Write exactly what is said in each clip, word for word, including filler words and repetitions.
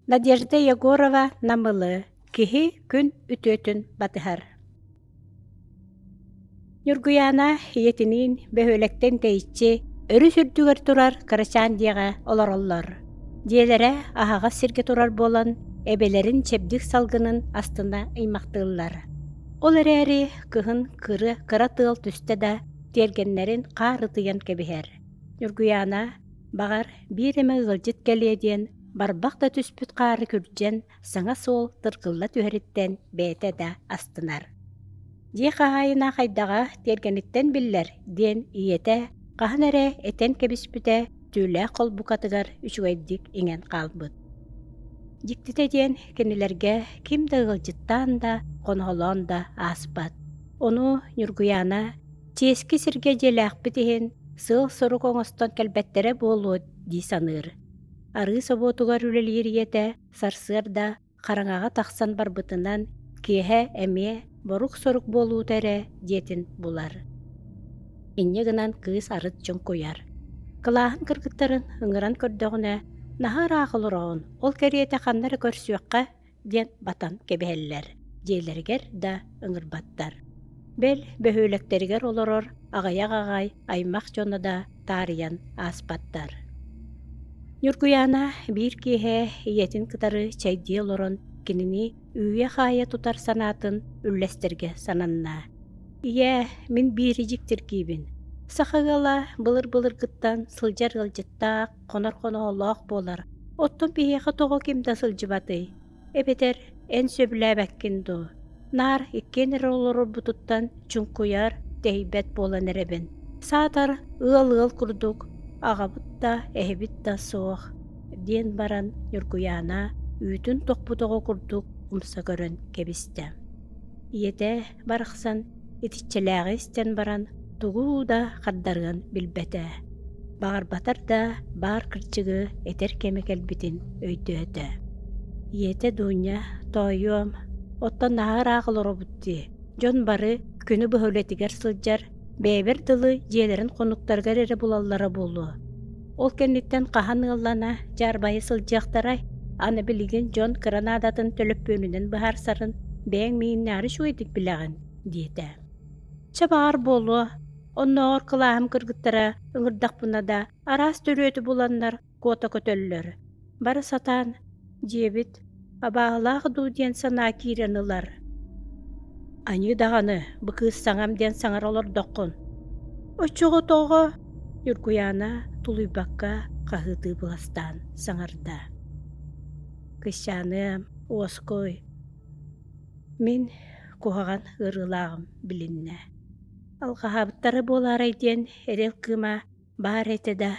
Надежда Егорова Намылы Киһи күн үтүөтүн батыһар. Ньургуйаана ийэтиниин бөһүөлэктэн тэйиччи өрүс үрдүгэр турар кырачаан дьиэҕэ олороллор. Дьиэлэрэ аһаҕас сиргэ турар буолан, эбэлэрин чэбдик салгынын астына ыймахтыыллар. Ол эрээри кыһын кыры кыра тыал түстэ да, тиэргэннэрин хаар ытыйан кэбиһэр. Ньургуйаана, баҕар, биир эмэ ыалдьыт кэлиэ диэн, барбах да түспүт хаары күрдьэн, саҥа суол тыргылла түһэриттэн бэйэтэ да астынар. Дьиэ хаһаайына хайдаҕа тиэргэниттэн биллэр диэн ийэтэ хаһан эрэ этэн кэбиспитэ түүлээх холбукатыгар үчүгэйдик иҥэн хаалбыт. Дьиктитэ диэн кинилэргэ ким да ыалдьыттаан да, хоноһолоон да ааспат. Ону Ньургуйаана чиэски сиргэ дьиэлээхпит иһин сыал-сорук оҥостон кэлбэттэрэ буолуо дии саныыр. Арыы собуотугар үлэлиир ийэтэ сарсыарда хараҥаҕа тахсан барбытынан киэһэ эмиэ борук-сорук буолуута эрэ дьиэтин булар. Инньэ гынан кыыс арыт чуҥкуйар. Кылааһын кыргыттарын ыҥыран көрдөҕүнэ, наһаа ыраах олороҕун, ол кэриэтэ ханна эрэ көрсүөххэ диэн батан кэбиһэллэр, дьиэлэригэр да ыҥырбаттар. Бэл, бөһүөлэктэригэр олорор аҕыйах аҕай аймах дьоно да таарыйан ааспаттар. Ньургуйаана биир киэһэ ийэтин кытары чэйдии олорон кинини үүйэ-хаайа тутар санаатын үллэстэргэ сананна. «Ийээ, мин биири дьиктиргиибин. Саха ыала былыр-былыргыттан сылдьар ыалдьыттаах, хонор хоноһолоох буолар. Оттон биһиэхэ тоҕо ким да сылдьыбатый? Эбэтэр эн сөбүлээбэккин дуу? Наар иккиэн эрэ олорорбутуттан чуҥкуйар, тэһийбэт буолан эрэбин. Саатар ыал-ыал курдук, аҕабыт да, эһэбит да суох» диэн баран Ньургуйаана үүтүн тохпут оҕо курдук умса көрөн кэбистэ. Ийэтэ барахсан итиччэлээҕи истэн баран тугу да хардарыан билбэтэ. Баҕарбатар да баар кырдьыгы этэр кэмэ кэлбитин өйдөөтө. Ийэтэ Дуня «Тоойуом, оттон наһаа ыраах олоробут дии, дьон бары күнү быһа үлэтигэр сылдьар, бэйэбэр дылы дьиэлэрин хонуктарыгар эрэ булаллара буолуо. Ол кэнниттэн хаһан ыаллана, дьаарбайа сылдьыахтарай? Аны билигин дьон кыра наадатын төлөппүөнүнэн быһаарсарын бэйэҥ мииннээри үчүгэйдик билэҕин» диэтэ. «Чэ баҕар буолуо, оннооҕор кылааһым кыргыттара ыҥырдахпына да араас төрүөтү буланнар куота көтөллөр. Бары сатаан дьиэбит абааһылаах дуу диэн санаа киирэн ылар. Аньыы даҕаны, бу кыыс саҥам диэн саҥара олордоххун. Оччоҕо тоҕо?» Ньургуйаана тулуйбакка хаһыытыы быластаан саҥарда. «Кысчааныам, уоскуй, мин куһаҕан ыарыылааҕым билиннэ. Алҕаһаабыттара буолаарай диэн эрэл кыыма баар этэ да,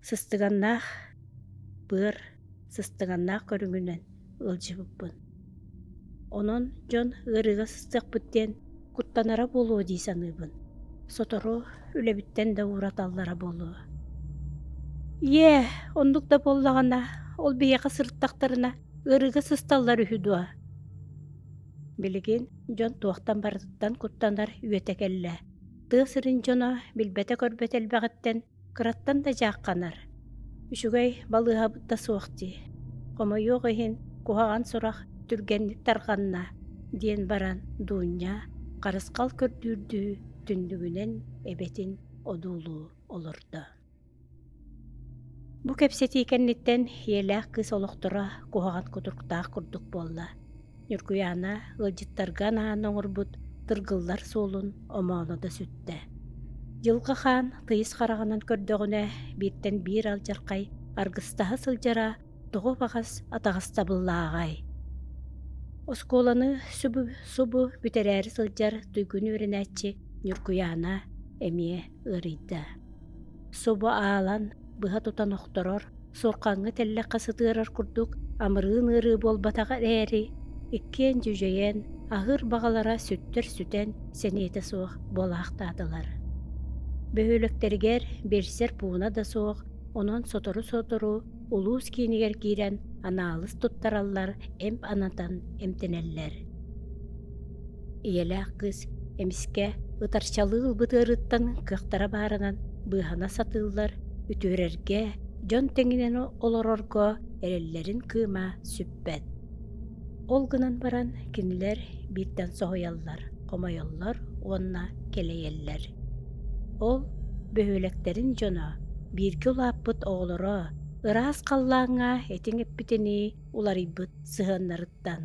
сыстыганнаах быар сыстыганнаах көрүҥүнэн ыалдьыбыппын. Онон дьон ыарыыга сыстыахпыт диэн куттанара буолуо дии саныыбын. Сотору үлэбиттэн да уураталлара буолуо. Ийээ, оннук да буоллаҕына, ол биһиэхэ сырыттахтарына ыарыыга сысталлар үһү дуо? Билигин дьон туохтан барытыттан куттанар үйэтэ кэллэ. Тыа сирин дьоно билбэтэ-көрбөтө элбэҕиттэн кыраттан да дьаахханар. Үчүгэй балыыһабыт да суох дии. Хомойуох иһин, куһаҕан сурах түргэнник тарҕанна, диэн баран Дуунньа харысхал көрдүүрдүү түннүгүнэн эбэтин одуулуу олордо. Бу кэпсэтии кэнниттэн ийэлээх кыыс олохторо куһаҕан кутуруктаах курдук буолла. Ньургуйаана ыалдьыттарга анаан оҥорбут тыргыллар суолун омооно да сүттэ. Дьылҕа хаан тыйыс хараҕынан көрдөҕүнэ, бииртэн биир алдьархай аргыстаһа сылдьара тоҕо баҕас атаҕастабыллааҕай. Оскуоланы субу, субу бүтэрээри сылдьар туйгун үөрэнээччи Ньургуйаана эмиэ ыарыйда. Субу аалан, быһа тутан охторор, суорҕаҥҥа тэллэххэ сытыарар курдук амырыын ыарыы буолбатаҕа эрээри, иккиэн дьүдьэйэн, аһыыр баҕалара сүттэр сүтэн сэниэтэ суох буолаахтаатылар. Бөһүөлэктэригэр биэлсэр пууна да суох, онон сотору-сотору улуус киинигэр киирэн анаалыс туттараллар, эмп анатан эмтэнэллэр. Ийэлээх кыыс эмискэ ытарчалыы ылбыт ыарыыттан кыахтара баарынан быыһана сатыыллар, үтүөрэргэ, дьон тэҥинэн олорорго эрэллэрин кыыма сүппэт. Ол гынан баран кинилэр бииртэн соһуйаллар, хомойоллор уонна кэлэйэллэр. Ол бөһүөлэктэрин дьоно, бииргэ улааппыт оҕолоро ыраас халлааҥҥа этиҥ эппитинии уларыйбыт сыһыаннарыттан.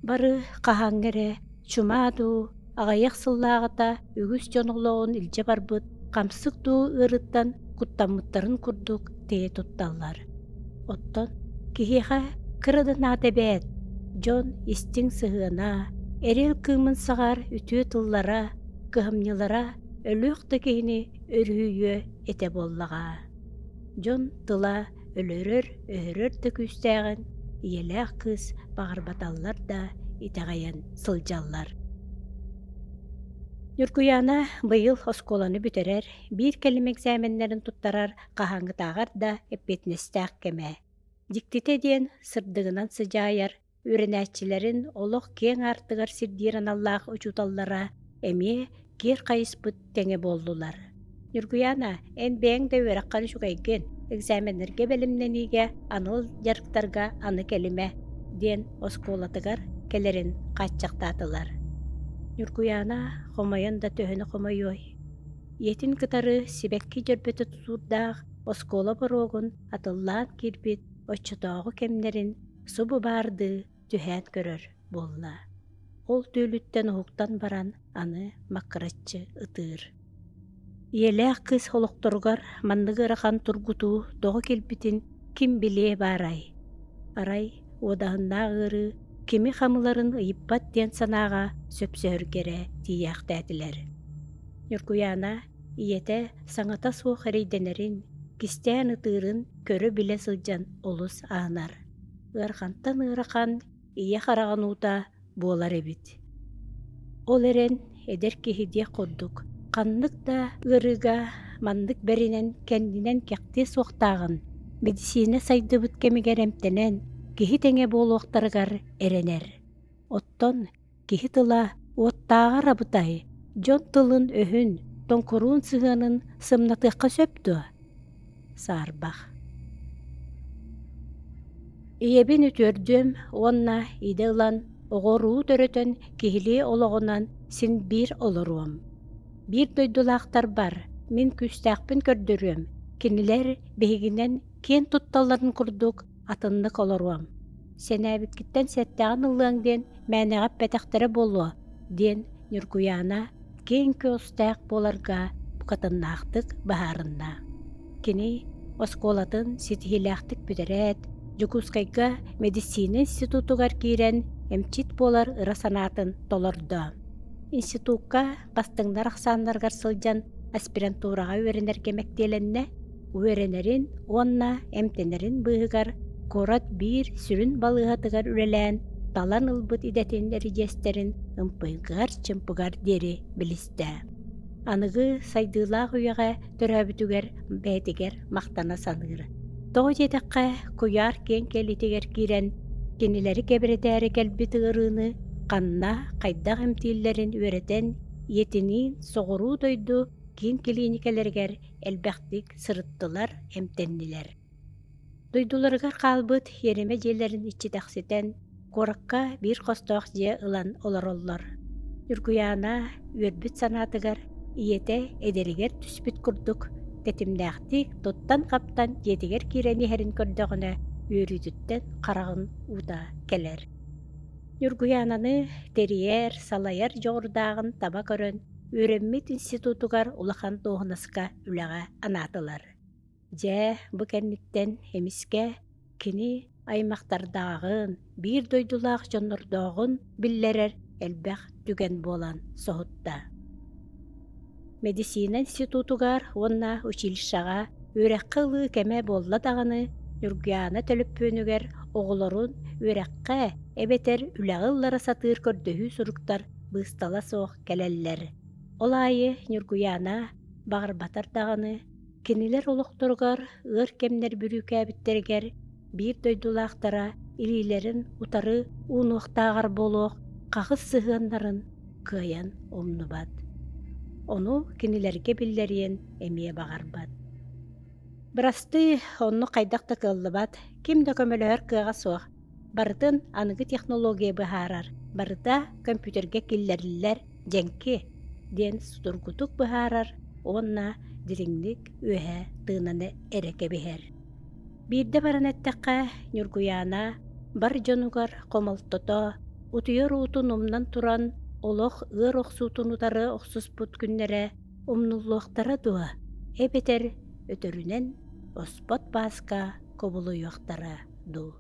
Бары хаһааҥҥа эрэ чумаа дуу, аҕыйах сыллааҕыта үгүс дьон олоҕун илдьэ барбыт хамсык дуу ыарыттан куттаммыттарын курдук тэйэ тутталлар. Оттон киһиэхэ кыра да наада эбээт, дьон истиҥ сыһыана, эрэл кыымын саҕар үтүө тыллара, кыһамньылара өлүөх да киһини өрүһүйүө этэ буоллаҕа. Дьон тыла өлөрөр, өһөрөр да күүстээҕин ийэлээх кыыс баҕарбаталлар да итэҕэйэн сылдьаллар. Ньургуйаана быйыл оскуоланы бүтэрэр, биир кэлим экзаменнарын туттарар хаһааҥҥытааҕар да эппиэтинэстээх кэмэ. Дьиктитэ диэн сырдыгынан сыдьаайар, үөрэнээччилэрин олох киэҥ аартыгар сирдиир аналлаах учууталлара эмиэ киэр хайыспыт тэҥэ буоллулар. Ньургуйаана, эн бэйэҥ да үөрэххэр үчүгэйгин, экзаменнарга бэлэмнэниигэ анал дьарыктарга аны кэлимэ, диэн оскуолатыгар кэлэрин хааччахтаатылар. Ньургуйаана хомойон да төһөнү хомойуой. Ийэтин кытары сибэкки дьөрбөтө тутуурдаах оскуола боруогун атыллаан киирбит оччотооҕу кэмнэрин субу баардыы түһээн көрөр буолла. Ол түүлүттэн уһуктан баран аны маккыраччы ытыыр. Ийэлээх кыыс олохторугар маннык ыарахан тургутуу тоҕо кэлбитин ким билиэ баарай? Арай уодаһыннаах ыарыы кими хамыларын ыйыппат диэн санааҕа сөпсөһөргө эрэ тиийээхтээтилэр. Ньургуйаана ийэтэ саҥата суох эрэйдэнэрин, кистээн ытыырын көрө-билэ сылдьан олус аһынар. Ыарахантан ыарахан ийэ хараҕын уута буолар эбит. Ол эрэн эдэр киһи диэх курдук, ханнык да ыарыыга маннык бэринэн кэннинэн кэхтиэ суохтааҕын, мэдиссиинэ сайдыбыт кэмигэр эмтэнэн, киһи тэҥэ буолуохтарыгар эрэнэр. Оттон киһи тыла уоттааҕар абытай, дьон тылын-өһүн, тоҥкуруун сыһыанын сымнатыахха сөп дуо? Саарбах. Ийэбин үтүөрдүөм уонна идэ ылан, оҕо-уруу төрөтөн киһилии олоҕунан син биир олоруом. Биир дойдулаахтарбар мин күүстээхпин көрдөрүөм, кинилэр биһигинэн киэн тутталларын курдук атыннык олоруом. Сэнээбиккиттэн сэттэҕин ыллыаҥ диэн мээнэҕэ эппэтэхтэрэ буолуо, диэн Ньургуйаана киэҥ көҕүстээх буоларга букатыннаахтык быһаарынна. Кини оскуолатын ситиһиилээхтик бүтэрээт, Дьокуускайга мэдиссиинэ институтугар киирэн эмчит буолар ыра санаатын толордо. Институкка бастыҥнар ахсааннарыгар сылдьан аспирантураҕа үөрэнэргэ мэктиэлэннэ, үөрэнэрин уонна эмтэнэрин быыһыгар куорат биир сүрүн балыыһатыгар үлэлээн талан ылбыт идэтин эридьиэстэрин ымпыгар-чымпыгар диэри билистэ. Аныгы сайдыылаах үйэҕэ төрөөбүтүгэр бэйэтигэр махтана саныыр. Тоҕо диэтэххэ, куйаар киэҥ кэлиитигэр киирэн, кинилэри кэбирэтээри кэлбит ыарыыны ханна, хайдах эмтииллэрин үөрэтэн, ийэтиниин соҕуруу дойду киин килииникэлэригэр элбэхтик сырыттылар, эмтэннилэр. Дойдуларыгар хаалбыт иэримэ дьиэлэрин иччитэхситэн, куоракка биир хостоох дьиэ ылан олороллор. Ньургуйаана үөрбүт санаатыгар ийэтэ эдэригэр түспүт курдук тэтимнээхтик туттан-хаптан дьиэтигэр киирэн иһэрин көрдөҕүнэ үөрүүтүттэн хараҕын уута кэлэр. Ньургуйаананы тэрийэр, салайар дьоҕурдааҕын таба көрөн, үөрэммит институтугар улахан дуоһунаска үлэҕэ анаатылар. Дьэ, бу кэнниттэн эмискэ кини аймахтардааҕын, биир дойдулаах дьоннордооҕун биллэрэр элбэх түгэн буолан соһутта. Мэдиссиинэ институтугар уонна училищеҕа үөрэххэ ылыы кэмэ буолла даҕаны, Ньургуйаана төлөппүөнүгэр оҕолорун үөрэххэ эбэтэр үлэҕэ ыллара сатыыр көрдөһүү суруктар быыстала суох кэлэллэр. Ол аайы Ньургуйаана баҕарбатар даҕаны, кинилэр олохторугар ыар кэмнэр бүрүүкээбиттэригэр биир дойдулаахтара илиилэрин утары уунуохтааҕар буолуох хаҕыс сыһыаннарын кыайан умнубат. Ону кинилэргэ биллэриэн эмиэ баҕарбат. Бырастыы, оннук хайдах да кыаллыбат, ким да көмөлөһөр кыаҕа суох. Барытын аныгы технология быһаарар, барыта компьютерга киллэриллэр дьэҥки, диэн судургутук быһаарар уонна дириҥник үөһэ тыынаны эрэ кэбиһэр. Биирдэ баран эттэххэ, Ньургуйаана бар дьонугар хомолтото, утуйар уутун умнан туран олох ыар охсуутун утары охсуспут күннэрэ умнуллуохтара дуо, эбэтэр өтөрүнэн оспот бааска кубулуйуохтара дуу.